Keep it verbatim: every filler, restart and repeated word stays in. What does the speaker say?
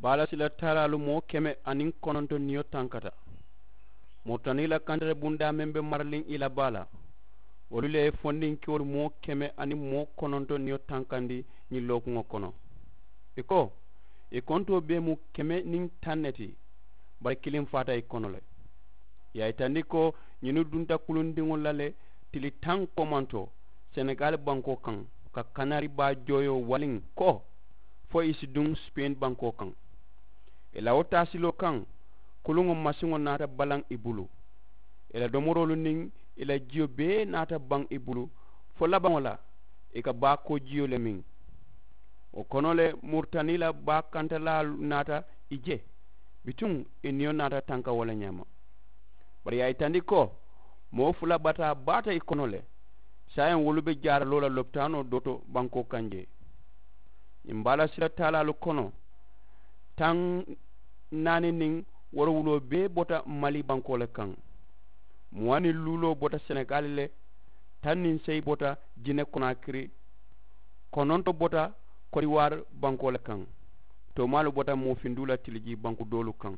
Baala sila taalaalu moo keme aniŋ kononto niyo tankata. Moritani la kantata bundaa meŋ be maraliŋ i la baa la, wolu le ye fondinkewolu moo keme aniŋ moo kononto niyo tankandi ñiŋ lookuŋo kono. I ko i kontoo bee mu keme niŋ taŋ ne ti, bari kiliŋ faata i kono le. I ye a yitandi ko ñinnu dunta kulundiŋolu la le tili taŋ komanto senegali bankoo kaŋ, ka kanari baa jooyoo waliŋ ko fo i si duŋ sipeeni bankoo kaŋ. I la wo taasiloo kaŋ, kuluŋo masiŋo naata balaŋ i bulu. I la domoroolu niŋ i la jiyo bee naata baŋ i bulu, fo labaŋo la i ka baa koo jiyo le miŋ. Wo kono le, muritani la baa kantalaalu naata i je. Bituŋ i niyo naata tanka wo le ñaama. Bari i ye a yitandi ko moo fula bataa baata i kono le. Saayiŋ wolu be jaaraloo la lopitaanoo doo to bankoo kaŋ jee. Ñiŋ baala sila taalaalu kono, taŋ naani niŋ woorowuloo bee bota mali bankoo le kaŋ. Muwaŋ niŋ luuloo bota senegali le. Taŋ niŋ seyi bota jine konaakiri. Kononto bota kodiwaari bankoo le kaŋ. Toomaalu bota moofinduu la tilijii banku doolu kaŋ.